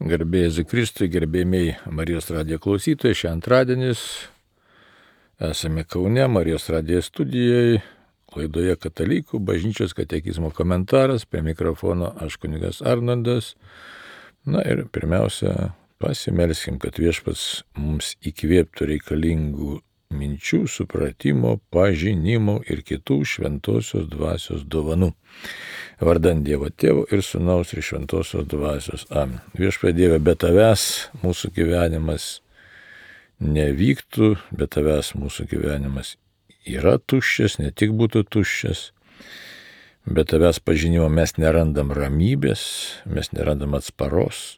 Garbė Jėzui Kristui, gerbėmiai Marijos radijo klausytojai, šią antradienis esame Kaune, Marijos radijo studijoje, laidoje Katalikų bažnyčios katekizmo komentaras, prie mikrofono aš kunigas Arnoldas. Na ir pirmiausia, pasimelskim, kad Viešpats mums įkvėptų reikalingų minčių, supratimo, pažinimo ir kitų šventosios dvasios dovanų. Vardant Dievo Tėvo ir Sūnaus ir šventosios dvasios. Amen. Viešpatie Dieve, be tavęs mūsų gyvenimas nevyktų, be tavęs mūsų gyvenimas yra tuščias, ne tik būtų tuščias. Be tavęs pažinimo mes nerandam ramybės, mes nerandam atsparos,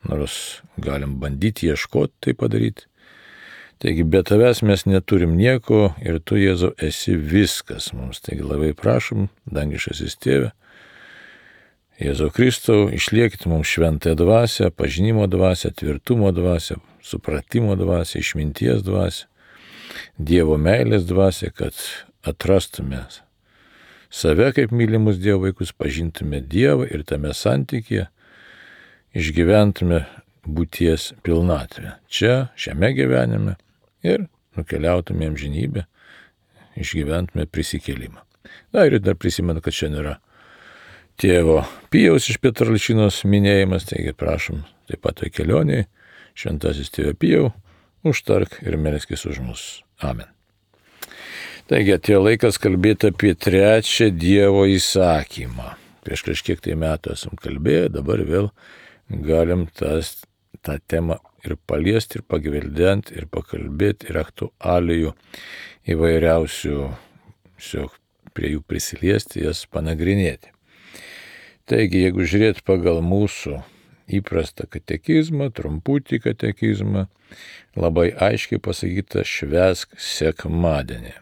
nors galim bandyti ieškoti tai padaryti. Taigi be tavęs mes neturim nieko ir tu, Jėzau, esi viskas mums. Taigi labai prašom, dangiškasis Tėve, Jėzau Kristau, išliekit mums šventąją dvasią, pažinimo dvasią, tvirtumo dvasią, supratimo dvasią, išminties dvasią, Dievo meilės dvasią, kad atrastume save kaip mylimus Dievo vaikus, pažintume Dievą ir tame santykyje išgyventume būties pilnatvę. Čia, šiame gyvenime ir nukeliautume amžinybę, išgyventume prisikėlimą. Na ir dar prisimenu, kad šiandien yra tėvo Pijaus iš Petralčinos minėjimas, taigi prašom taip pat toj kelionėje, šventasis tėve Pijau, užtark ir melskis už mus. Amen. Taigi atėjo laikas kalbėti apie trečią Dievo įsakymą. Prieš kažkiek tai metų esam kalbėję, dabar vėl galim tą temą ir paliesti, ir pagvildenti, ir pakalbėti, ir aktualijų įvairiausių, prie jų prisiliesti, jas panagrinėti. Taigi, jeigu žiūrėt pagal mūsų įprastą katekizmą, trumputį katekizmą, labai aiškiai pasakyta švęsk sekmadienį.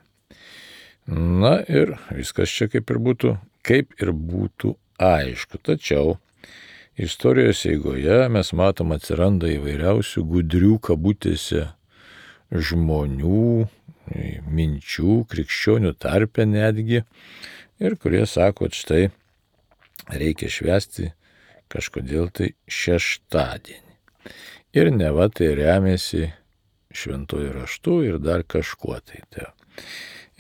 Na ir viskas čia kaip ir būtų aišku, tačiau istorijos eigoje mes matom atsiranda įvairiausių gudrių kabutėse žmonių, minčių, krikščionių tarpe netgi, ir kurie sako, kad štai reikia švęsti kažkodėl tai šeštadienį. Ir neva tai remiasi šventuoju raštu ir dar kažkuo tai.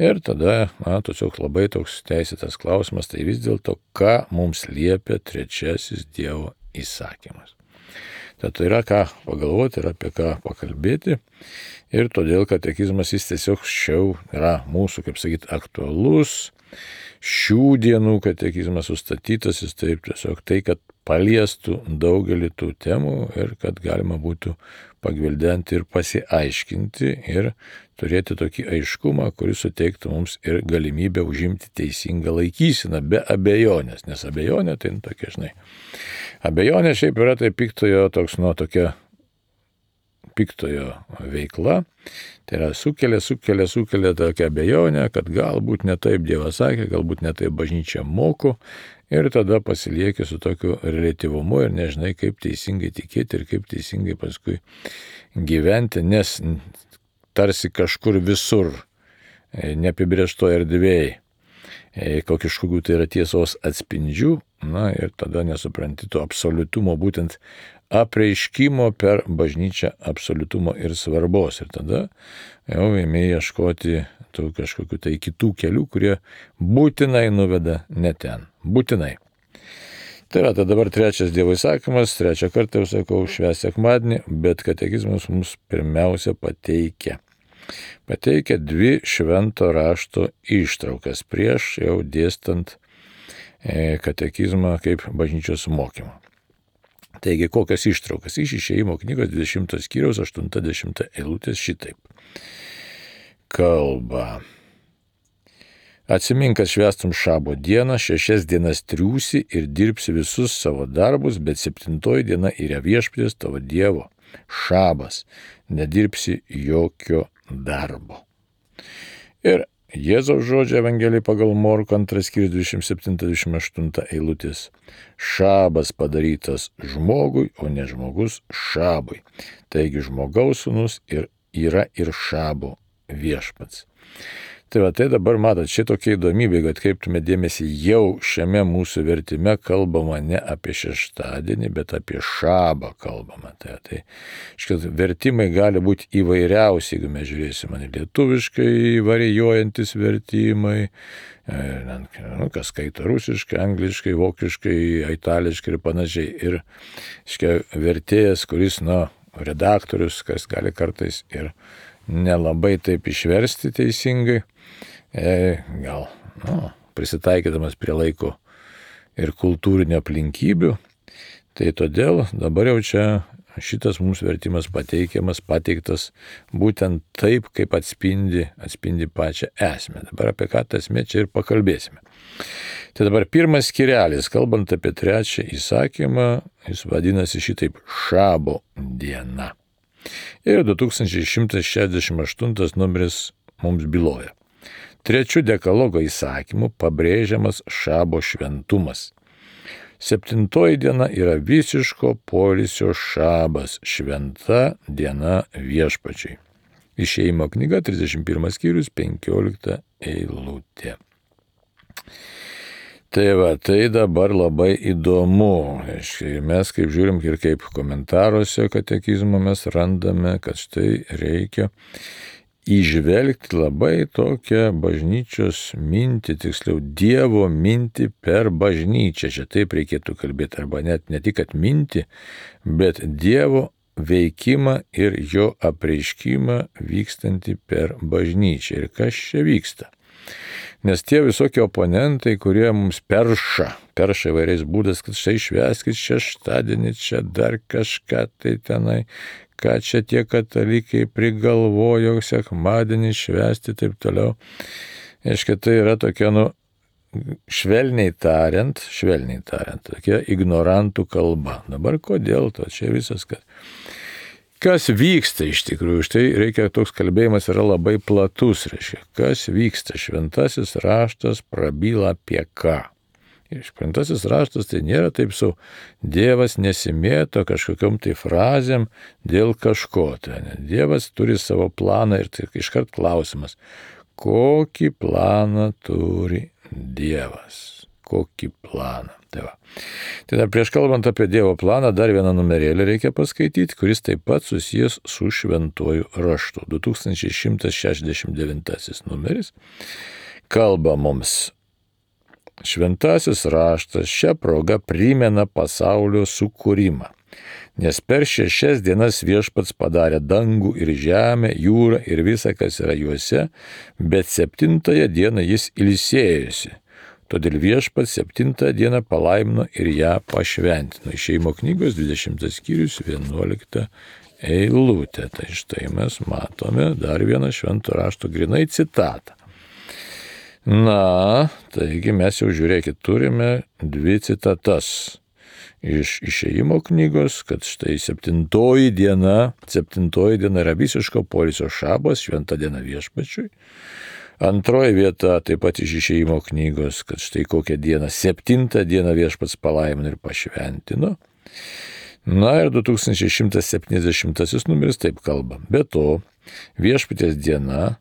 Ir tada, tiesiog labai toks teisėtas klausimas, tai vis dėlto, ką mums liepia trečiasis Dievo įsakymas. Tad yra ką pagalvoti ir apie ką pakalbėti. Ir todėl katekizmas jis tiesiog yra mūsų, kaip sakyti, aktualus. Šių dienų katekizmas sustatytas, jis taip tiesiog tai, kad paliestų daugelį tų temų ir kad galima būtų pagvildenti ir pasiaiškinti ir turėti tokį aiškumą, kuris suteiktų mums ir galimybę užimti teisingą laikyseną be abejonės, nes abejonė tai tokia, žinai. Abejonė šiaip yra tai piktojo veikla, tai yra sukelia tokią abejonę, kad galbūt ne taip Dievas sakė, galbūt ne taip bažnyčia moko, ir tada pasilieki su tokiu reliatyvumu ir nežinai, kaip teisingai tikėti ir kaip teisingai paskui gyventi, nes tarsi kažkur visur, neapibrėžtoje erdvėje, kažkokių tai yra tiesos atspindžių, na ir tada nesupranti to absoliutumo, būtent apreiškimo per bažnyčią absoliutumo ir svarbos. Ir tada jau ėmė ieškoti tų kažkokių tai kitų kelių, kurie būtinai nuveda ne ten. Būtinai. Tai yra, dabar trečias Dievo įsakymas, trečią kartą jau sakau, švęsk sekmadienį, bet katekizmas mums pirmiausia pateikia dvi švento rašto ištraukas prieš jau dėstant katekizmą kaip bažnyčios mokymą. Taigi, kokias ištraukas? Iš Išėjimo knygos 20 skyriaus 80 eilutės šitaip kalba. Atsimink, kad švęstum šabo dieną, 6 dienas triūsi ir dirbsi visus savo darbus, bet 7 diena yra viešpaties tavo Dievo šabas, nedirbsi jokio darbo. Ir Jėzaus žodžio Evangelijai pagal Morkų 2 skyrius 27-28 eilutės. Šabas padarytas žmogui, o ne žmogus šabui. Taigi žmogaus sūnus yra ir šabo viešpats. Tai va, tai dabar matot, šitokia įdomybė, kad kreiptume dėmesį, jau šiame mūsų vertime kalbama ne apie šeštadienį, bet apie šabą kalbama. Tai vertimai gali būti įvairiausi, jeigu mes žiūrėsime lietuviškai varijuojantis vertimai, kas skaito rusiškai, angliškai, vokiškai, itališkai ir panašiai. Ir vertėjas, kuris, redaktorius, kas gali kartais ir nelabai taip išversti teisingai, gal prisitaikydamas prie laiko ir kultūrinio aplinkybių. Tai todėl dabar jau čia šitas mums vertimas pateiktas būtent taip, kaip atspindi pačią esmę. Dabar apie ką ta esmė čia ir pakalbėsime. Tai dabar pirmas skirelis, kalbant apie trečią įsakymą, jis vadinasi šitaip šabo diena. Ir 2168 numeris mums byloja. Trečiu dekalogo įsakymu pabrėžiamas šabo šventumas. 7 diena yra visiško poilsio šabas, šventa diena viešpačiui. Išėjimo knyga, 31 skyrius, 15 eilutė. Tai va, tai dabar labai įdomu. Mes kaip žiūrim ir kaip komentaruose katekizmo mes randame, kad štai reikia įžvelgti labai tokią bažnyčios mintį, tiksliau Dievo mintį per bažnyčią. Čia taip reikėtų kalbėti, arba net ne tik kad mintį, bet Dievo veikimą ir jo apreiškimą vykstantį per bažnyčią. Ir kas čia vyksta? Nes tie visokie oponentai, kurie mums perša įvairiais būdais, kad štai švęskit šeštadienį, čia dar kažką tai tenai, ką čia tie katalikai prigalvojo sekmadienį švęsti taip toliau. Aiškiai, tai yra tokia, švelniai tariant, tokia ignorantų kalba. Dabar kodėl to? Čia visas, kas vyksta iš tikrųjų, štai reikia, toks kalbėjimas yra labai platus, reiškia, kas vyksta, šventasis raštas prabyla apie ką. Ir šventasis raštas tai nėra taip Dievas nesimėto kažkokiom tai frazėm dėl kažko. Dievas turi savo planą ir tai iškart klausimas, kokį planą turi Dievas, kokį planą. Tai dar prieš kalbant apie Dievo planą, dar vieną numerėlį reikia paskaityti, kuris taip pat susijęs su šventuoju raštu. 2169 numeris kalba mums. Šventasis raštas šią progą primena pasaulio sukūrimą, nes per 6 dienas viešpats padarė dangų ir žemę, jūrą ir visą, kas yra juose, bet 7 dieną jis ilsėjosi. Todėl viešpats 7 dieną palaimino ir ją pašventino. Išėjimo knygos 20 skyrius 11 eilutė. Tai štai mes matome dar vieną švento rašto grinai citatą. Taigi mes jau žiūrėkit, turime 2 citatas iš Išėjimo knygos, kad štai 7 diena yra visiško poilsio šabas, šventa diena viešpačiui. Antroji vieta taip pat iš Išėjimo knygos, kad štai kokią dieną, 7 dieną viešpats palaimino ir pašventino. Ir 2170 numeris taip kalba. Be to, viešpaties diena,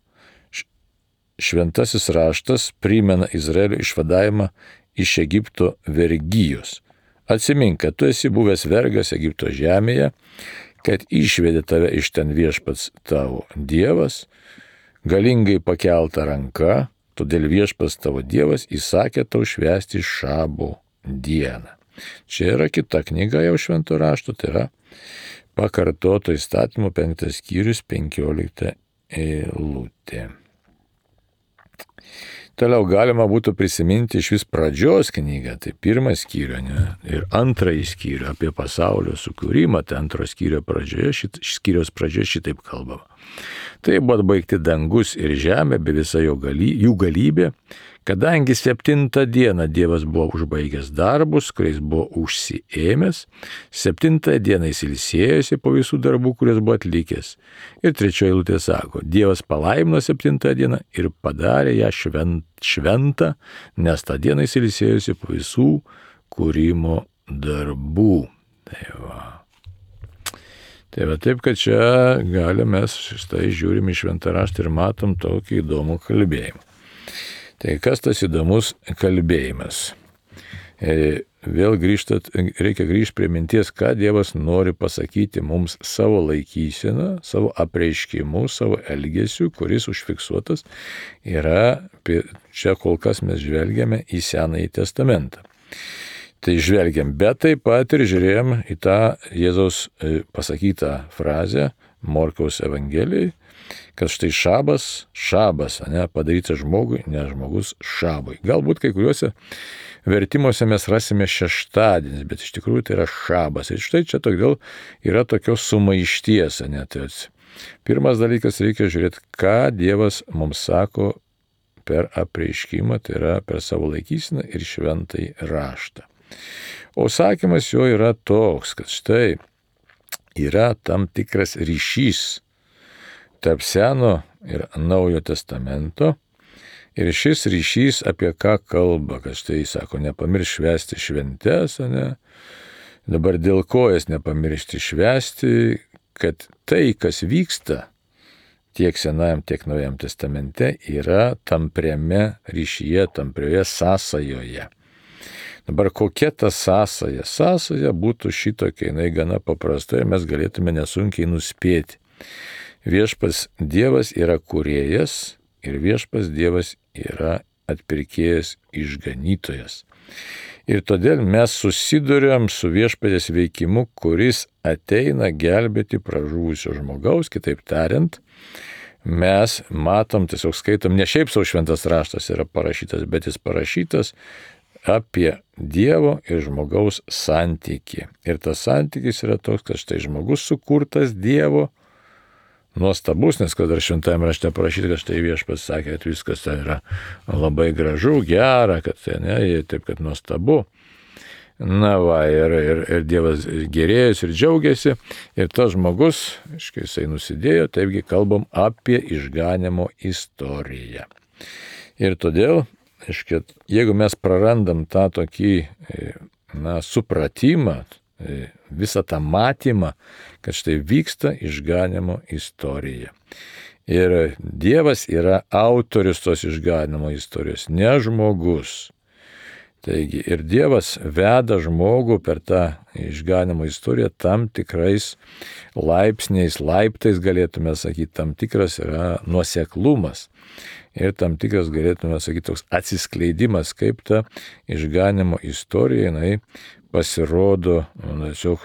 šventasis raštas primena Izraelio išvadavimą iš Egipto vergijos. Atsimink, kad tu esi buvęs vergas Egipto žemėje, kad išvedė tave iš ten viešpats tavo Dievas, galingai pakelta ranka, todėl viešpats tavo Dievas įsakė tau švęsti šabo dieną. Čia yra kita knyga jau švento rašto, tai yra pakartoto įstatymo 5 skyrius 15 eilutė. Toliau galima būtų prisiminti iš vis pradžios knygą, tai 1 skyrių ir 2 skyrių apie pasaulio sukūrimą, tai 2 skyriaus pradžioje šitaip kalbama. Tai buvo atbaigti dangus ir žemė, bei visa jų galybė, kadangi 7 dieną Dievas buvo užbaigęs darbus, kuriais buvo užsiėmęs, 7 dieną jis ilsėjosi po visų darbų, kurias buvo atlikęs. Ir 3 eilutė sako, Dievas palaimino 7 dieną ir padarė ją šventą, nes tą dieną jis ilsėjosi po visų kūrimo darbų. Tai va. Tai va taip, kad čia galime mes štai žiūrim į šventą raštą ir matom tokį įdomų kalbėjimą. Tai kas tas įdomus kalbėjimas? Vėl reikia grįžti prie minties, ką Dievas nori pasakyti mums savo laikyseną, savo apreiškimu, savo elgesiu, kuris užfiksuotas yra, čia kol kas mes žvelgiame į Senąjį testamentą. Tai žvelgiam, bet taip pat ir žiūrėjom į tą Jėzaus pasakytą frazę Morkaus Evangelijai, kad štai šabas, padarytas žmogui, ne žmogus šabui. Galbūt kai kuriuose vertimuose mes rasime šeštadienis, bet iš tikrųjų tai yra šabas. Ir štai čia todėl yra tokios sumaišties. Tai pirmas dalykas, reikia žiūrėti, ką Dievas mums sako per apreiškimą, tai yra per savo laikyseną ir šventąjį raštą. O sakymas jo yra toks, kad štai yra tam tikras ryšys tarp Seno ir Naujo testamento. Ir šis ryšys apie ką kalba, kad štai sako, nepamirš švęsti šventes, dabar dėl ko jas nepamiršti švęsti, kad tai, kas vyksta tiek Senajam, tiek Naujam testamente, yra tampriame ryšyje, tamprioje sąsajoje. Dabar kokia ta sąsaja? Sąsaja būtų šitokia, jinai gana paprasta ir mes galėtume nesunkiai nuspėti. Viešpas Dievas yra kūrėjas ir viešpas Dievas yra atpirkėjas, išganytojas. Ir todėl mes susiduriam su viešpatės veikimu, kuris ateina gelbėti pražuvusio žmogaus, kitaip tariant, mes matom, tiesiog skaitom, ne šiaip savo šventas raštas yra parašytas, bet jis parašytas apie Dievo ir žmogaus santykį. Ir tas santykis yra toks, kad štai žmogus sukurtas Dievo, nuostabus, nes kad dar šventajame rašte parašyta, kad štai viešpats sakė, kad viskas ten yra labai gražu, gera, kad taip, kad nuostabu. Na va, ir Dievas gerėjasi ir džiaugiasi, ir tas žmogus, jisai nusidėjo, taipgi kalbam apie išganimo istoriją. Ir todėl, jeigu mes prarandam tą tokį supratimą, visą tą matymą, kad štai vyksta išganimo istorija. Ir Dievas yra autorius tos išganimo istorijos, ne žmogus. Taigi ir Dievas veda žmogų per tą išganimo istoriją tam tikrais laiptais galėtume sakyti, tam tikras yra nuoseklumas. Ir tam tikras galėtume sakyti toks atsiskleidimas, kaip ta išganimo istorija, jinai pasirodo tiesiog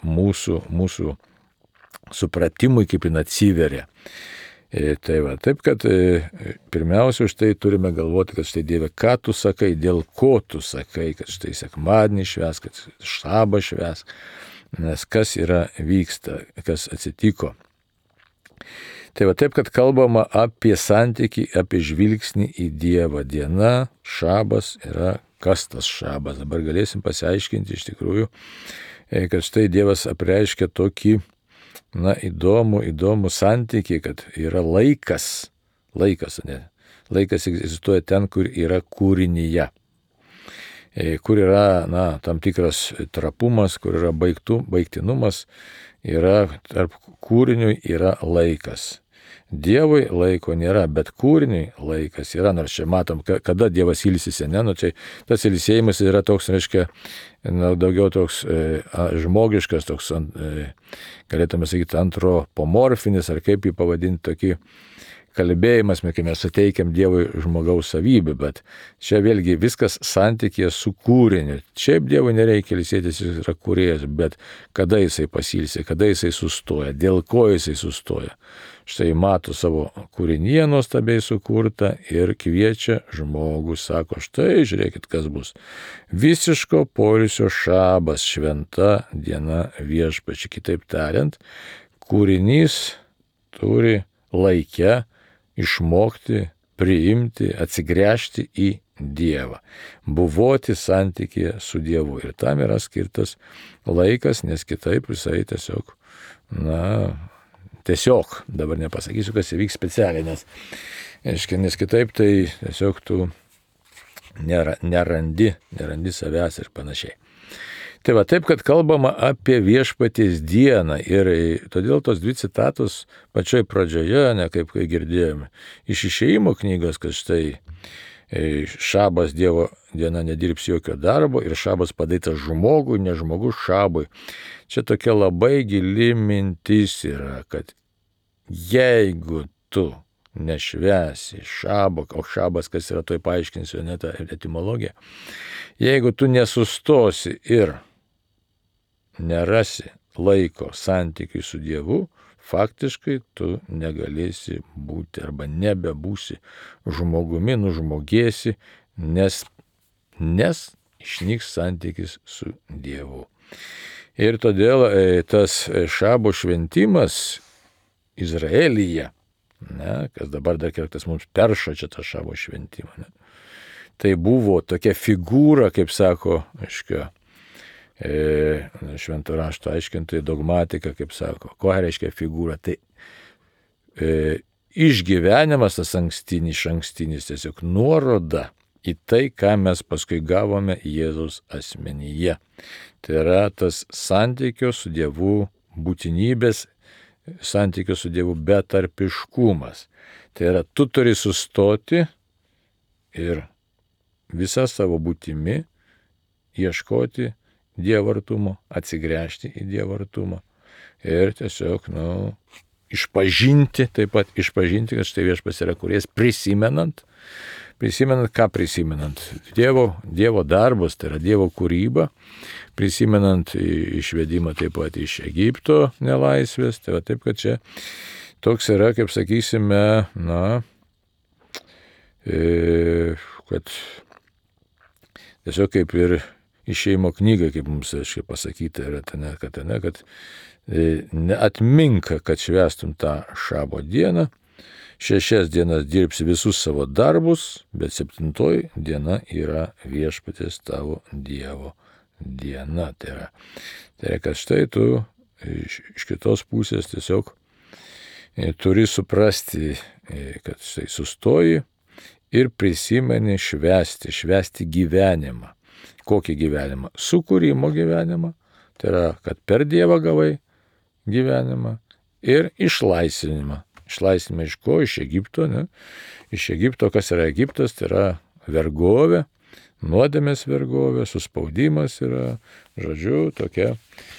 mūsų supratimui, kaip jin atsiveria. Tai va, taip, kad pirmiausia, štai turime galvoti, kad štai Dieve, ką tu sakai, dėl ko tu sakai, kad štai sekmadienį švęsk, kad šabą švęsk, nes kas vyksta, kas atsitiko. Tai va taip, kad kalbama apie santykį, apie žvilgsnį į Dievą. Diena, šabas yra kas tas šabas. Dabar galėsim pasiaiškinti iš tikrųjų, kad štai Dievas apreiškia tokį įdomų santykį, kad yra laikas. Laikas egzistuoja ten, kur yra kūrinyje. Kur yra tam tikras trapumas, kur yra baigtinumas, yra tarp kūrinių yra laikas. Dievui laiko nėra, bet kūriniui laikas yra, nors čia matom, kada Dievas ilsisi, čia tas ilsėjimas yra toks, daugiau toks žmogiškas, toks, galėtume sakyti, antropomorfinis, ar kaip jį pavadinti, tokį kalbėjimas, kai mes suteikiam Dievui žmogaus savybę, bet čia vėlgi viskas santykėje su kūriniu. Šiaip Dievui nereikia ilsėtis, jis yra kūrėjas, bet kada jisai pasilsė, kada jisai sustoja, dėl ko jisai sustoja. Štai mato savo kūrinyje nuostabiai sukurtą ir kviečia žmogų, sako, štai žiūrėkit, kas bus. Visiško poilsio šabas, šventa diena viešpačiui. Kitaip tariant, kūrinys turi laike išmokti, priimti, atsigręžti į Dievą, buvoti santykėje su Dievu. Ir tam yra skirtas laikas, nes kitaip visai tiesiog, dabar nepasakysiu, kas įvyks specialiai, nes kitaip tai tiesiog tu nerandi savęs ir panašiai. Tai va taip, kad kalbama apie viešpaties dieną ir todėl tos dvi citatos pačioj pradžioje, ne kaip kai girdėjome, iš Išėjimo knygos, kad štai šabas Dievo diena nedirbs jokio darbo ir šabas padarytas žmogui, ne žmogus šabui. Čia tokia labai gili mintis yra, kad jeigu tu nešvęsi šabo, o šabas, kas yra, toj paaiškinsiu, ne tą etimologiją, jeigu tu nesustosi ir nerasi laiko santykiui su Dievu, faktiškai tu negalėsi būti arba nebebūsi žmogumi, nužmogėsi, nes išnyks santykis su Dievu. Ir todėl tas šabo šventimas Izraelyje, kas dabar dar kartais mums perša čia tą šabo šventimą, tai buvo tokia figūra, kaip sako, švento rašto aiškintojai, dogmatika, kaip sako. Ko reiškia figūra? Tai išgyvenimas tas ankstinis, tiesiog nuoroda į tai, ką mes paskui gavome Jėzaus asmenyje. Tai yra tas santykio su Dievu būtinybės, santykio su Dievu betarpiškumas. Tai yra, tu turi sustoti ir visą savo būtimi ieškoti Dievo artumo, atsigręžti į Dievo artumą ir tiesiog, išpažinti, taip pat išpažinti, kad štai viešpats yra kūrėjas, prisimenant, ką prisimenant? Dievo darbus, tai yra Dievo kūryba, prisimenant išvedimą taip pat iš Egipto nelaisvės, tai va taip, kad čia toks yra, kaip sakysime, kad tiesiog kaip ir Išėjimo knyga, kaip mums pasakyta yra, kad atmink, kad švęstum tą šabo dieną, 6 dienas dirbsi visus savo darbus, bet 7 diena yra viešpaties tavo Dievo diena. Tai yra, kad štai tu iš kitos pusės tiesiog turi suprasti, kad štai sustoji ir prisimeni švęsti gyvenimą. Kokį gyvenimą? Sukūrimo gyvenimą, tai yra, kad per Dievą gavai gyvenimą ir išlaisvinimą. Išlaisvinimą iš ko? Iš Egipto, ne? Iš Egipto, kas yra Egiptas, tai yra vergovė, nuodėmės vergovė, suspaudimas yra, žodžiu, tokia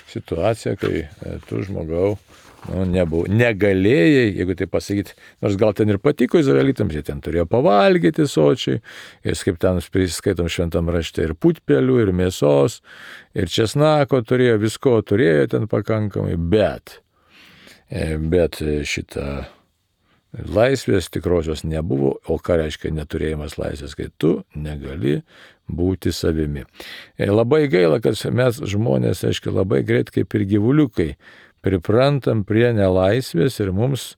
situacija, kai tu žmogau negalėjai, jeigu tai pasakyti, nors gal ten ir patiko izraelitams, jie ten turėjo pavalgyti sočiai, ir kaip ten skaitom šventam rašte, ir putpelių, ir mėsos, ir česnako turėjo, visko turėjo ten pakankamai, bet šitą laisvės tikrosios nebuvo, o ką reiškia neturėjimas laisvės, kai tu negali būti savimi. Labai gaila, kad mes žmonės, aiškiai, labai greit kaip ir gyvuliukai, priprantam prie nelaisvės ir mums,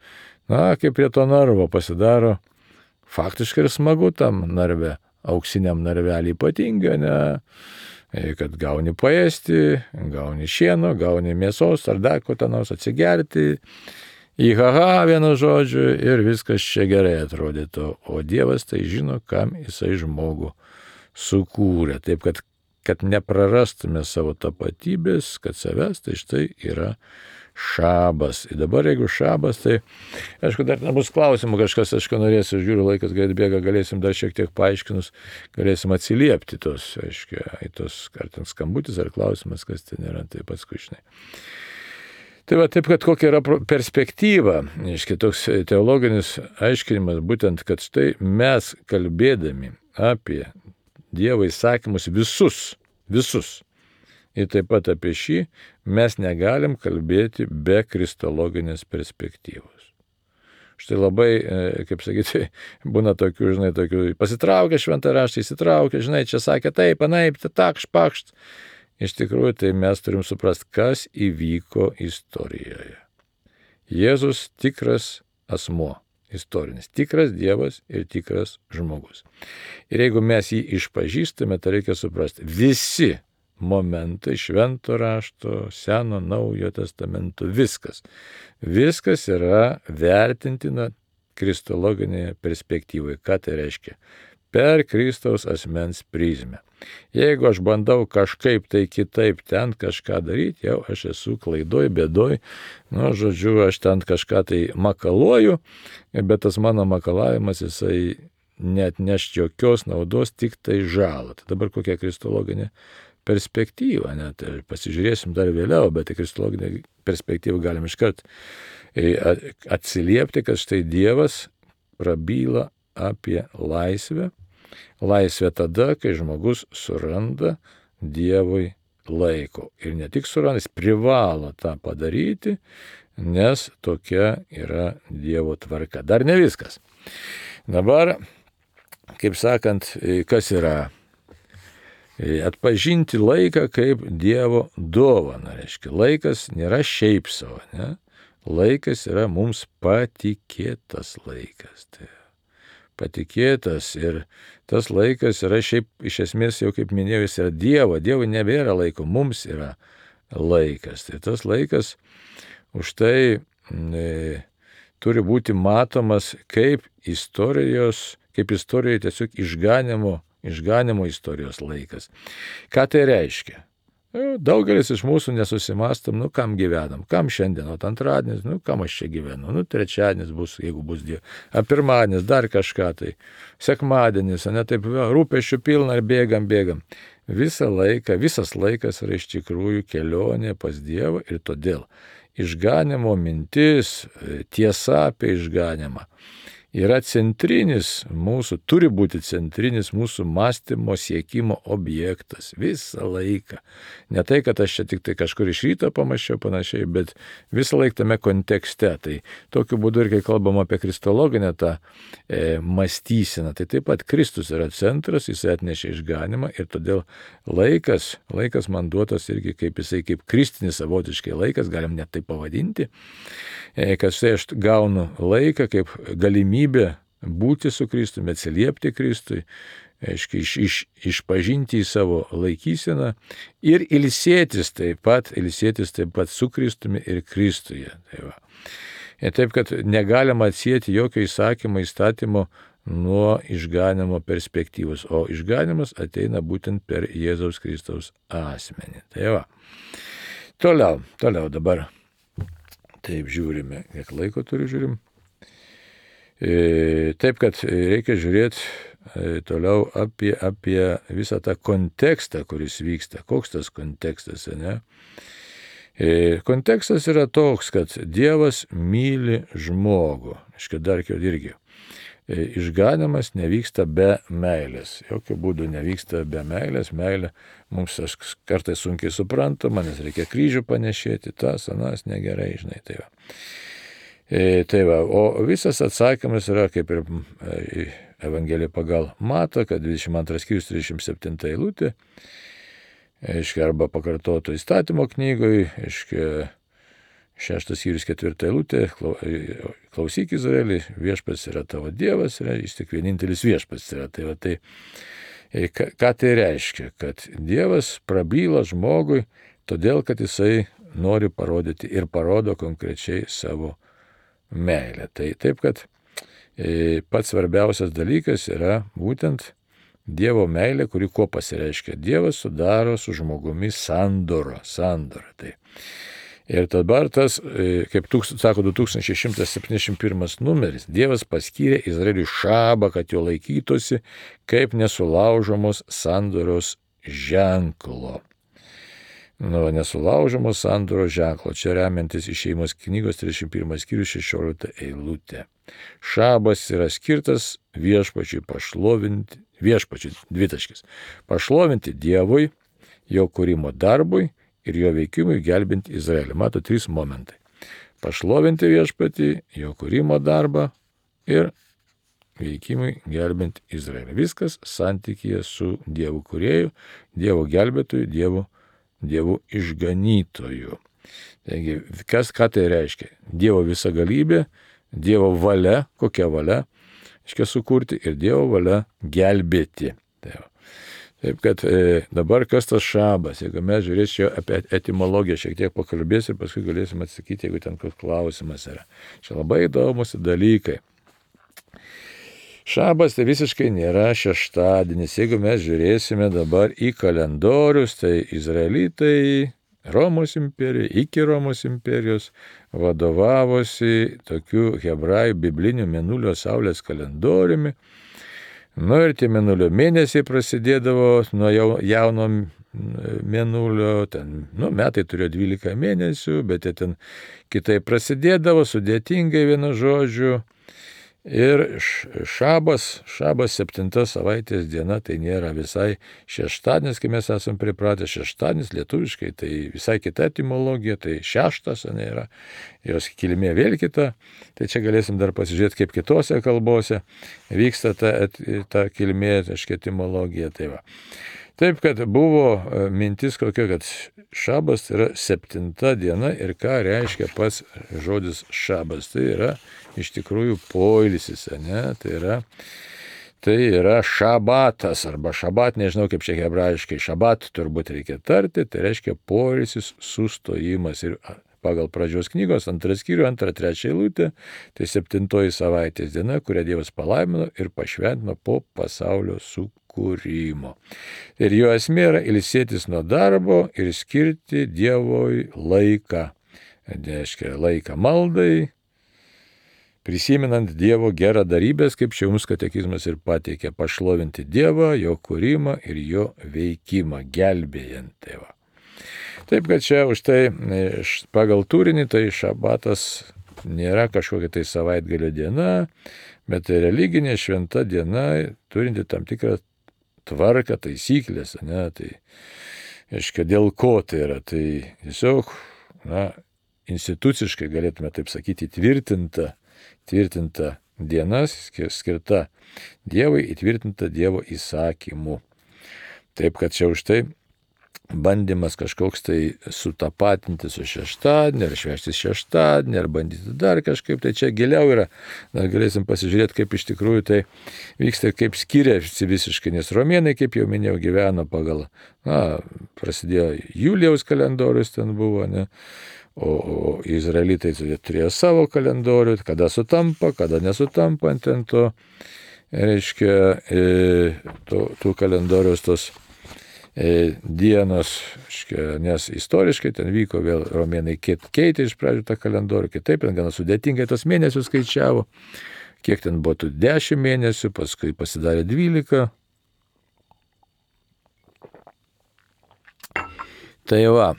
kaip prie to narvo pasidaro faktiškai ir smagu tam narve, auksiniam narvelį ypatinga, kad gauni paėsti, gauni šieno, gauni mėsos ar dar ko ten nors atsigerti, vienu žodžiu, ir viskas čia gerai atrodytų, o Dievas tai žino, kam jisai žmogų sukūrė, taip kad neprarastume savo tapatybės, kad savęs, tai štai yra šabas. Ir dabar jeigu šabas, tai, aišku, dar nebus klausimų, kažkas, aišku, norėsiu, žiūriu, laikas greit bėga, galėsim dar šiek tiek paaiškinus, galėsim atsiliepti tos, aišku, į tos, ar ten skambutis, ar klausimas, kas ten yra, tai paskui žinai. Tai va, taip, kad kokia yra perspektyva, aiškiai, toks teologinis aiškinimas, būtent, kad štai mes kalbėdami apie Dievo įsakymus visus, ir taip pat apie šį, mes negalim kalbėti be kristologinės perspektyvos. Štai labai, kaip sakyti, būna tokių, pasitraukia šventą raštą, įsitraukia, čia sakė taip, anaip, takšt, pakšt. Iš tikrųjų, tai mes turim suprasti, kas įvyko istorijoje. Jėzus tikras asmuo, istorinis, tikras Dievas ir tikras žmogus. Ir jeigu mes jį išpažįstame, tai reikia suprasti, visi momentai švento rašto, seno, naujo testamento, viskas yra vertintina kristologinėje perspektyvoje. Ką tai reiškia? per Kristaus asmens prizmę. Jeigu aš bandau kažkaip tai kitaip ten kažką daryti, jau aš esu klaidoj, bėdoj, žodžiu, aš ten kažką tai makaluoju, bet tas mano makalavimas jisai net neš jokios naudos, tik tai žalą. Tai dabar kokia kristologinė perspektyva, net pasižiūrėsim dar vėliau, bet į kristologinę perspektyvą galim iškart atsiliepti, kad štai Dievas prabyla apie laisvę. Laisvė tada, kai žmogus suranda Dievui laiko. Ir ne tik suranda, jis privalo tą padaryti, nes tokia yra Dievo tvarka. Dar ne viskas. Dabar, kaip sakant, kas yra? Atpažinti laiką kaip Dievo dovaną. Reiškia, laikas nėra šiaip savo, ne? Laikas yra mums patikėtas laikas. Tai patikėtas ir tas laikas yra šiaip iš esmės jau, kaip minėjau, jis yra Dievo. Dievui nebėra laiko, mums yra laikas. Tai tas laikas už tai turi būti matomas kaip istorijoje tiesiog išganimo istorijos laikas. Ką tai reiškia? Daugelis iš mūsų nesusimastam, kam gyvenam, kam šiandien, antradienis, kam aš čia gyvenu, trečiadienis bus, jeigu bus Dievas, pirmadienis, dar kažką tai, sekmadienis, taip rūpesčių pilna ir bėgam. Visas laikas yra iš tikrųjų kelionė pas Dievą ir todėl išganimo mintis, tiesa apie išganimą yra turi būti centrinis mūsų mąstymo siekimo objektas visą laiką. Ne tai, kad aš čia tik tai kažkur iš ryto pamąsčiau panašiai, bet visą laiką tame kontekste. Tai tokiu būdu ir kai kalbam apie kristologinę tą mąstyseną, tai taip pat Kristus yra centras, jis atnešė išganimą ir todėl laikas man duotas irgi kaip kristinis savotiškai laikas, galim net tai pavadinti, kad štai aš gaunu laiką kaip galimybę būti su Kristumi, atsiliepti Kristui, išpažinti į savo laikyseną ir ilsėtis taip pat su Kristumi ir Kristuje. Taip, kad negalima atsieti jokio įstatymo nuo išganimo perspektyvos, o išganimas ateina būtent per Jėzaus Kristaus asmenį. Tai va. Toliau dabar. Taip žiūrime, kiek laiko žiūrim. Taip, kad reikia žiūrėti toliau apie visą tą kontekstą, kuris vyksta. Koks tas kontekstas, ne? Kontekstas yra toks, kad Dievas myli žmogų. Dar irgi. Išganimas nevyksta be meilės. Jokių būdų nevyksta be meilės. Meilė mums kartais sunkiai suprantama, nes reikia kryžių panešėti, tas, anas, negerai, žinai, tai va. Tai va, o visas atsakymas yra kaip ir Evangelija pagal Matą, kad 22 skyrius 37 eilutė, arba pakartoto įstatymo knygoje, 6 skyrius 4 eilutė, klausyk Izraeli, viešpats yra tavo Dievas, jis tik vienintelis viešpats yra. Tai va, ką tai reiškia? Kad Dievas prabyla žmogui, todėl, kad jisai nori parodyti ir parodo konkrečiai savo meilę. Tai taip, kad pats svarbiausias dalykas yra būtent Dievo meilė, kuri kuo pasireiškia. Dievas sudaro su žmogumi sandorą. Tai. Ir dabar tas, kaip sako 2171 numeris, Dievas paskyrė Izraeliui šabą, kad jo laikytųsi kaip nesulaužomos sandoros ženklo. Nesulaužomos sandoros ženklo. Čia remiantis Išėjimos knygos 31 skyrius 16 eilutė. Šabas yra skirtas viešpačiui pašlovinti, pašlovinti Dievui, jo kūrimo darbui ir jo veikimui gelbinti Izraelį. Mato 3 momentai. Pašlovinti viešpatį, jo kūrimo darbą ir veikimui gelbinti Izraelį. Viskas santykyje su Dievu kūrėju, Dievo gelbėtoju, Dievo išganytoju. Taigi, ką tai reiškia? Dievo visagalybė, Dievo valia, kokia valia, reiškia sukurti ir Dievo valia gelbėti. Taip, kad dabar kas tas šabas, jeigu mes žiūrėsime apie etimologiją, šiek tiek pakalbėsim ir paskui galėsim atsakyti, jeigu ten koks klausimas yra. Čia labai įdomus dalykai. Šabas tai visiškai nėra šeštadienis. Jeigu mes žiūrėsime dabar į kalendorius, tai izraelitai Romos imperija, iki Romos imperijos vadovavosi tokiu hebrajų bibliniu mėnulio saulės kalendoriumi. Ir tie mėnulio mėnesiai prasidėdavo nuo jauno mėnulio, metai turėjo 12 mėnesių, bet jie ten kitaip prasidėdavo, sudėtingai vienu žodžiu. Ir šabas 7 savaitės diena, tai nėra visai šeštadienis, kai mes esame pripratę. Šeštadienis lietuviškai, tai visai kita etimologija, tai šeštas, yra, jos kilmė vėl kita. Tai čia galėsim dar pasižiūrėti, kaip kitose kalbose vyksta ta kilmė, etimologija. Taip, kad buvo mintis kokia, kad šabas yra 7 diena ir ką reiškia pats žodis šabas. Tai yra iš tikrųjų poilsis, Tai yra šabatas arba šabat, nežinau kaip čia hebrajiškai, šabat turbūt reikia tarti, tai reiškia poilsis, sustojimas. Ir pagal pradžios knygos 2 skyrių, 2-3 eilutė, tai 7 savaitės diena, kurią Dievas palaimino ir pašventino po pasaulio sukūrimo. Ir jo esmė yra ilsėtis nuo darbo ir skirti Dievui laiką. Reiškia laiką maldai, prisimenant Dievo geradarybės, kaip čia jums katekizmas ir pateikia, pašlovinti Dievą, jo kūrimą ir jo veikimą, gelbėjant Tėvą. Taip, kad čia už tai pagal turinį, tai šabatas nėra kažkokia tai savaitgalio diena, bet tai religinė šventa diena, turinti tam tikrą tvarką, taisyklės, Tai, aiškia, dėl ko tai yra, tai tiesiog, instituciškai galėtume taip sakyti, tvirtinta diena, skirta Dievui, įtvirtinta Dievo įsakymu. Taip, kad čia už tai bandymas kažkoks tai sutapatinti su šeštadienį, ar švęsti šeštadienį, ar bandyti dar kažkaip, tai čia giliau yra. Dar galėsim pasižiūrėti, kaip iš tikrųjų tai vyksta, kaip skiriasi visiškai, nes romėnai, kaip jau minėjau, gyveno pagal, prasidėjo Julijaus kalendorius ten buvo, O izraelitai turėjo savo kalendorių, kada sutampa, kada nesutampa ant to, reiškia, tų kalendorius tos dienos, reiškia, nes istoriškai ten vyko vėl romėnai keitė iš pradžių tą kalendorių, kitaip ten gana sudėtingai tos mėnesius skaičiavo, kiek ten buvo tų 10 mėnesių, paskui pasidarė 12. Tai va.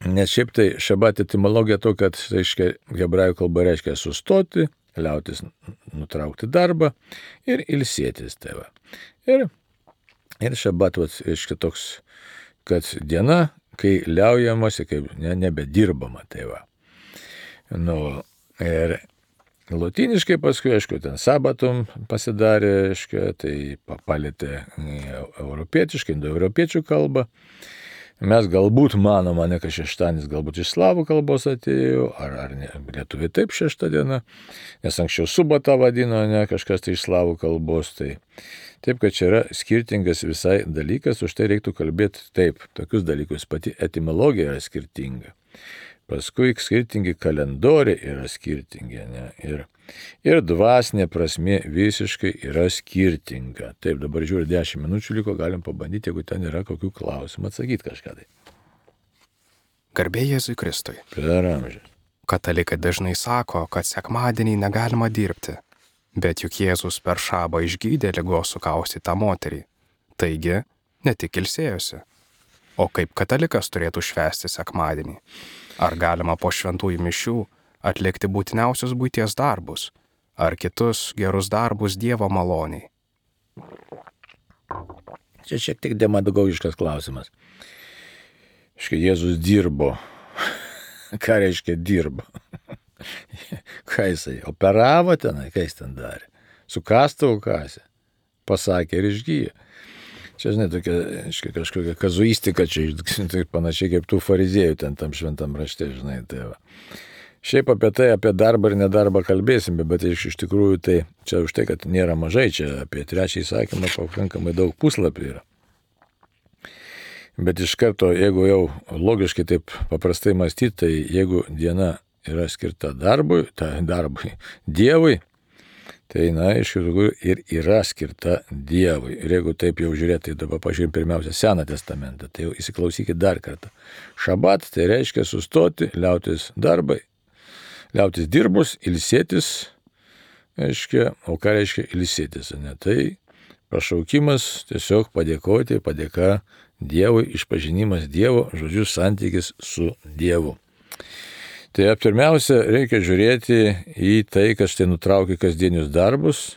Nes šiaip tai šabat etimologija to, kad reiškia, hebrajų kalba reiškia sustoti, liautis nutraukti darbą ir ilsėtis. Ir šabat, reiškia toks, kad diena, kai liaujamasi, kai nebedirbama. Ir lotyniškai paskui, aišku, ten sabatum pasidarė, reiškia, tai palėtė europietiškai, indoeuropiečių kalbą. Mes galbūt manome, kad šeštadienis galbūt iš slavų kalbos atėjo, ar lietuviai taip šešta diena, nes anksčiau subata vadino, kažkas tai iš slavų kalbos. Taip, kad čia yra skirtingas visai dalykas, už tai reiktų kalbėti taip, tokius dalykus, pati etimologija yra skirtinga. Paskui skirtingi kalendoriai yra skirtingi, ir dvasinė prasmė visiškai yra skirtinga. Taip, dabar žiūrėjau, 10 minučių liko, galim pabandyti, jeigu ten yra kokių klausimų, atsakyti kažką tai. Garbė Jėzui Kristui. Per amžius. Katalikai dažnai sako, kad sekmadienį negalima dirbti, bet juk Jėzus per šabą išgydė ligos sukaustytą moterį. Taigi, ne tik ilsėjosi. O kaip katalikas turėtų švęsti sekmadienį? Ar galima po šventųjų mišių atlikti būtiniausius buities darbus, ar kitus gerus darbus Dievo maloniai? Čia šiek tiek demagogiškas klausimas. Jėzus dirbo. Ką reiškia dirbo? Ką jisai? Operavo tenai? Ką jis ten darė? Su kastuvu kasė? Pasakė ir išgyjo. Čia, žinai, tokia, kažkokia kazuistika, čia tai panašiai kaip tų fariziejų ten tam šventam rašte, žinai, Šiaip apie darbą ir nedarbą kalbėsime, bet iš tikrųjų tai čia už tai, kad nėra mažai, čia apie 3 įsakymą pakankamai daug puslapių yra. Bet iš karto, jeigu jau logiškai taip paprastai mąstyti, tai jeigu diena yra skirta darbui, Dievui, Tai, iš tikrųjų, ir yra skirta Dievui. Ir jeigu taip jau žiūrėti, tai dabar pažiūrėjom pirmiausia Seną testamentą. Tai jau įsiklausykit dar kartą. Šabat tai reiškia sustoti, liautis darbai, liautis dirbus, ilsėtis, reiškia, o ką reiškia ilsėtis? Ne? Tai pašaukimas tiesiog padėkoti, padėka Dievui, išpažinimas Dievo, žodžiu, santykis su Dievu. Tai pirmiausia, reikia žiūrėti į tai, kad štai nutraukia kasdienius darbus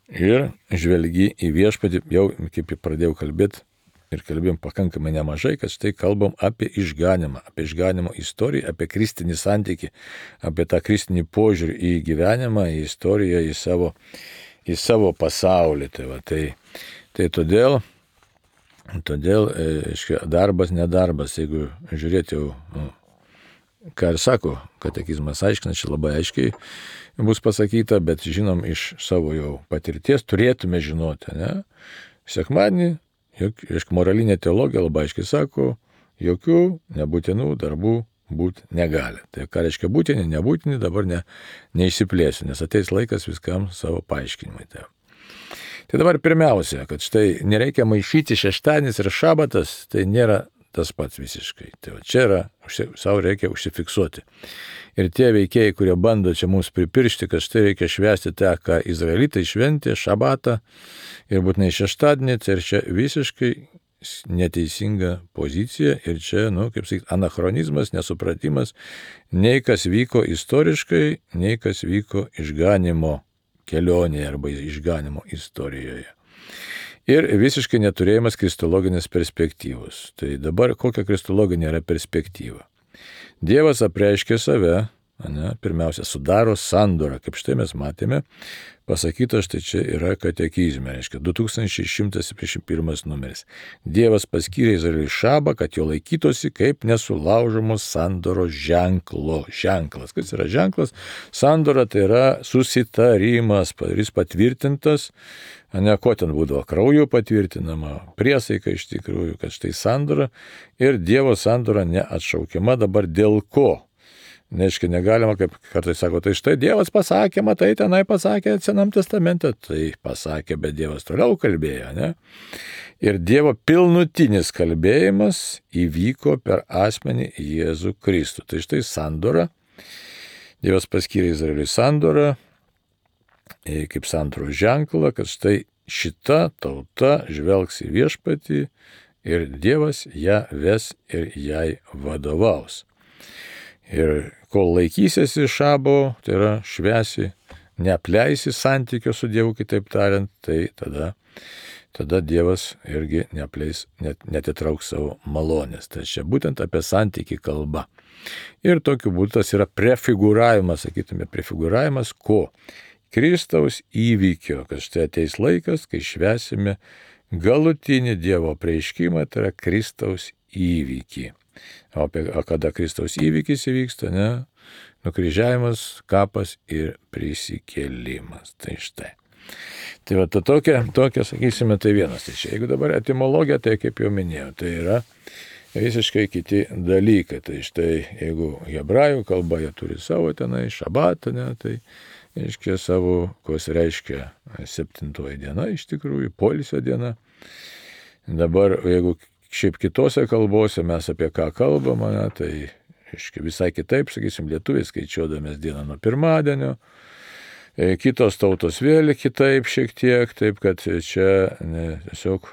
ir žvelgi į viešpatį, jau kaip pradėjau kalbėti ir kalbėjom pakankamai nemažai, kad štai kalbam apie išganimo istoriją, apie kristinį santykį, apie tą kristinį požiūrį į gyvenimą, į istoriją, į savo pasaulį. Tai todėl darbas, nedarbas, jeigu žiūrėti jau, ką ir sako katekizmas aiškina, čia labai aiškiai bus pasakyta, bet žinom iš savo jau patirties, turėtume žinoti, ne? Sekmadienį, moralinė teologija labai aiškiai sako, jokių nebūtinų darbų būti negali. Tai ką reiškia būtini, nebūtini, dabar neišsiplėsiu, nes ateis laikas viskam savo paaiškinimui. Tai dabar pirmiausia, kad štai nereikia maišyti šeštadienis ir šabatas, tai nėra tas pats visiškai. Tai čia yra, savo reikia užsifiksuoti. Ir tie veikėjai, kurie bando čia mums pripiršti, kad štai reikia švęsti tą, ką izraelitai šventė, šabatą ir būtinai šeštadienį, tai ir čia visiškai neteisinga pozicija ir čia, kaip sakyti, anachronizmas, nesupratimas, nei kas vyko istoriškai, nei kas vyko išganimo kelionėje arba išganimo istorijoje. Ir visiškai neturėjimas kristologinės perspektyvos. Tai dabar kokia kristologinė yra perspektyva? Dievas apreiškė save, pirmiausia, sudaro sandorą, kaip štai mes matėme, pasakyta štai čia yra katekizme, reiškia 2171 numeris. Dievas paskyrė Izraeliui šabą, kad jo laikytosi kaip nesulaužomos sandoros ženklas. Kas yra ženklas? Sandora tai yra susitarimas, jis patvirtintas, ko ten būdavo, kraujo patvirtinama, priesaika iš tikrųjų, kad štai sandora ir Dievo sandora neatšaukiama dabar dėl ko. Neiškai negalima, kaip kartais sako, tai štai Dievas pasakė, matai, tenai pasakė Senam testamente, tai pasakė, bet Dievas toliau kalbėjo, ne? Ir Dievo pilnutinis kalbėjimas įvyko per asmenį Jėzų Kristų. Tai štai sandora, Dievas paskyrė Izraeliui sandorą, kaip sandoros ženklą, kad štai šita tauta žvelgs į viešpatį ir Dievas ją ves ir jai vadovaus. Ir kol laikysiesi šabo, tai yra švęsi, neapleisi santykio su Dievu, kitaip tariant, tai tada Dievas irgi neapleis, netitrauks savo malonės. Tai čia būtent apie santykį kalba. Ir tokiu būdu tas yra prefigūravimas, sakytume, prefigūravimas ko? Kristaus įvykio, kad štai ateis laikas, kai švęsime galutinį Dievo apreiškimą, tai yra Kristaus įvykį. O kada Kristaus įvykis įvyksta, ne? Nukryžiavimas, kapas ir prisikėlimas. Tai štai. Tai tokia, sakysime, tai vienas. Tai čia, jeigu dabar etimologija, tai kaip jau minėjau, tai yra visiškai kiti dalykai. Tai štai, jeigu hebrajų kalba, jie turi savo tenai šabatą, ne? Tai reiškia savo, kas reiškia 7 diena, iš tikrųjų, poilsio diena. Dabar, jeigu šiaip kitose kalbose mes apie ką kalbame, tai visai kitaip, sakysim, lietuviai skaičiuodamės dieną nuo pirmadienio, kitos tautos vėl kitaip šiek tiek, taip kad čia tiesiog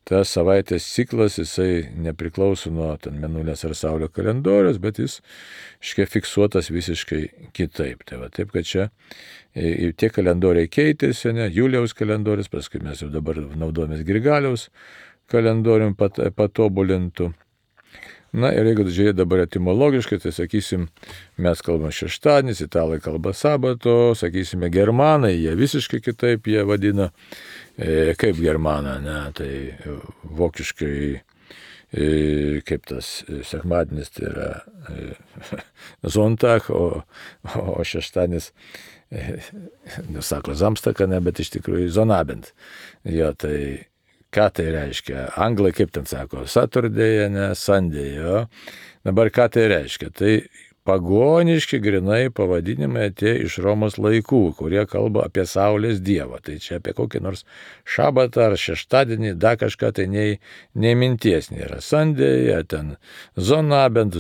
tas savaitės ciklas, jisai nepriklauso nuo mėnulės ar saulio kalendorius, bet jis fiksuotas visiškai kitaip. Tai taip kad čia tie kalendoriai keitėsi, Julijaus kalendorius, paskui mes jau dabar naudojamės Grigaliaus kalendorium patobulintų. Na ir jeigu žiūrėti dabar etimologiškai, tai sakysim, mes kalbame šeštadienis, italai kalba sabato, sakysime, germanai, jie visiškai kitaip jie vadina, kaip germaną, ne, tai vokiškai, kaip tas sekmadienis, tai yra Sonntag, o šeštadienis, nesako Samstag, ne, bet iš tikrųjų Sonnabend. Jo, tai ką tai reiškia? Anglai kaip ten sako? Saturday, ne Sunday, jo. Dabar ką tai reiškia? Tai pagoniški grinai pavadinimai atėjo iš Romos laikų, kurie kalba apie Saulės dievą. Tai čia apie kokį nors šabatą ar šeštadienį, dar kažką tai nei minties nėra. Sandėje, ten zonabent,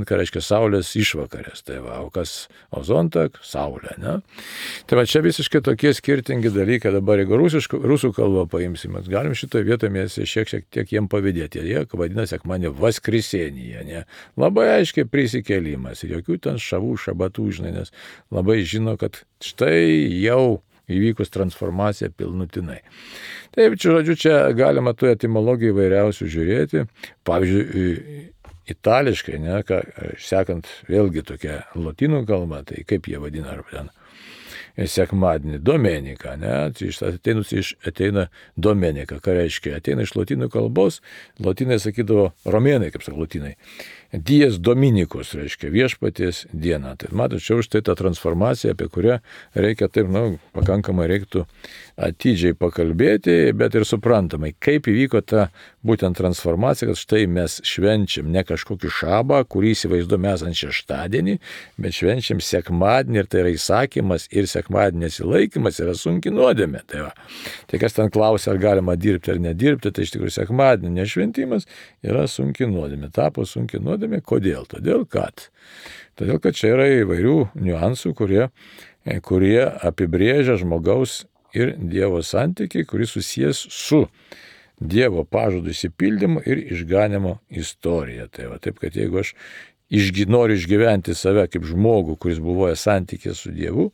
ką reiškia Saulės išvakarės. Tai va, o zontak, Saulė, ne? Tai va, čia visiškai tokie skirtingi dalykai. Dabar jeigu rusų kalbą paimsime, galim šitoje vietoje mes šiek tiek jiem pavydėti. Jie vadina sekmadienį Vaskrisenija, ne? Labai aiškiai prisikėlimas. Ir jokių ten šabatų, žinai, nes labai žino, kad štai jau įvykus transformacija pilnutinai. Taip, žodžiu, čia galima tų etimologijų įvairiausių žiūrėti. Pavyzdžiui, itališkai, ne, sekant vėlgi tokia lotynų kalba, tai kaip jie vadina, ar ten sekmadienį, domenika, ne, ateina domenika, ką reiškia, ateina iš lotynų kalbos, lotynai sakydavo, romėnai, kaip sako lotynai, dies dominikus, reiškia viešpaties diena. Tai matot, čia už tai ta transformacija, apie kurią reikia taip, pakankamai reiktų atidžiai pakalbėti, bet ir suprantamai, kaip įvyko ta būtent transformacija, kad štai mes švenčiam ne kažkokį šabą, kurį įsivaizduojame esant šeštadienį, bet švenčiam sekmadienį ir tai yra įsakymas ir sekmadienio nesilaikymas yra sunki nuodėmė. Tai kas ten klausia, ar galima dirbti ar nedirbti, tai iš tikrųjų sekmadienio nešventimas yra sunki nuodėmė. Tapo sunki nuodėmė. Kodėl? Todėl, kad čia yra įvairių niuansų, kurie apibrėžia žmogaus ir Dievo santykiai, kuris susijęs su Dievo pažadų išsipildymu ir išganimo istorija. Tai va, taip, kad jeigu aš noriu išgyventi save kaip žmogų, kuris buvoja santykė su Dievu,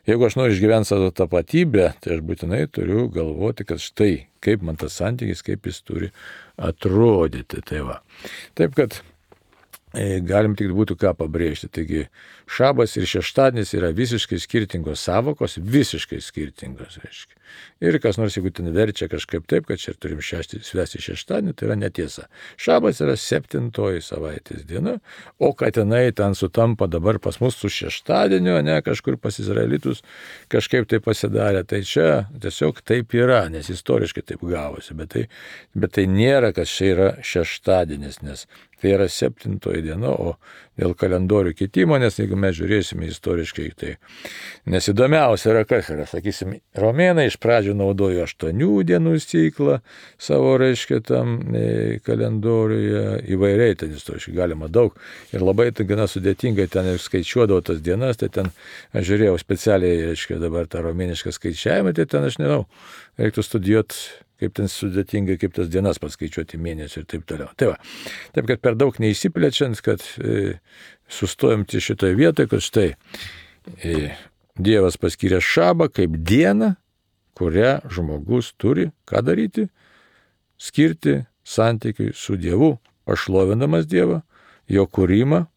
jeigu aš noriu išgyventi savo tapatybę, tai aš būtinai turiu galvoti, kad štai, kaip man tas santykis, kaip jis turi atrodyti. Tai va. Taip, kad galim tik būtų ką pabrėžti. Taigi, šabas ir šeštadienis yra visiškai skirtingos savokos, visiškai skirtingos, reiškia. Ir kas nors, jeigu ten verčia kažkaip taip, kad čia turim švęsti šeštadienį, tai yra netiesa. Šabas yra 7 savaitės diena, o kad jinai ten sutampa dabar pas mus su šeštadieniu, ne kažkur pas izraelitus kažkaip tai pasidarė, tai čia tiesiog taip yra, nes istoriškai taip gavosi, bet tai nėra, kad čia yra šeštadienis, nes tai yra 7 diena, o dėl kalendorių kitimo, nes jeigu mes žiūrėsime istoriškai, tai nesidomiausia yra kas yra, sakysim, romėnai iš pradžių naudojo 8 dienų ciklą savo, reiškia, tam kalendoriuje, įvairiai ten istoriškai galima daug ir labai tai gana sudėtingai ten skaičiuodavo tas dienas, tai ten aš žiūrėjau specialiai, reiškia, dabar tą romėnišką skaičiavimą, tai ten aš nežinau, reiktų studijuoti, kaip ten sudėtingai, kaip tas dienas paskaičiuoti mėnesį ir taip toliau. Tai va, taip, kad per daug neįsiplečiant, kad sustojom ties šitoje vietoje, kad štai Dievas paskyrė šabą kaip dieną, kurią žmogus turi, ką daryti, skirti santykiui su Dievu, pašlovindamas Dievą, jo kūrimą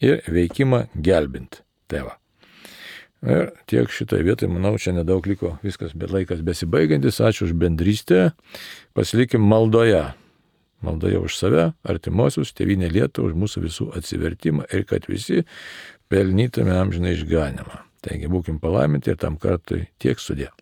ir veikimą gelbint. Tai va. Ir tiek šitoje vietoje, manau, čia nedaug liko, viskas, bet laikas besibaigiantis, ačiū už bendrystę, pasilikim maldoje. Maldoje už save, artimuosius, tėvynę Lietuvą, už mūsų visų atsivertimą ir kad visi pelnytume amžiną išganymą. Taigi būkim palaiminti ir tam kartui tiek sudie.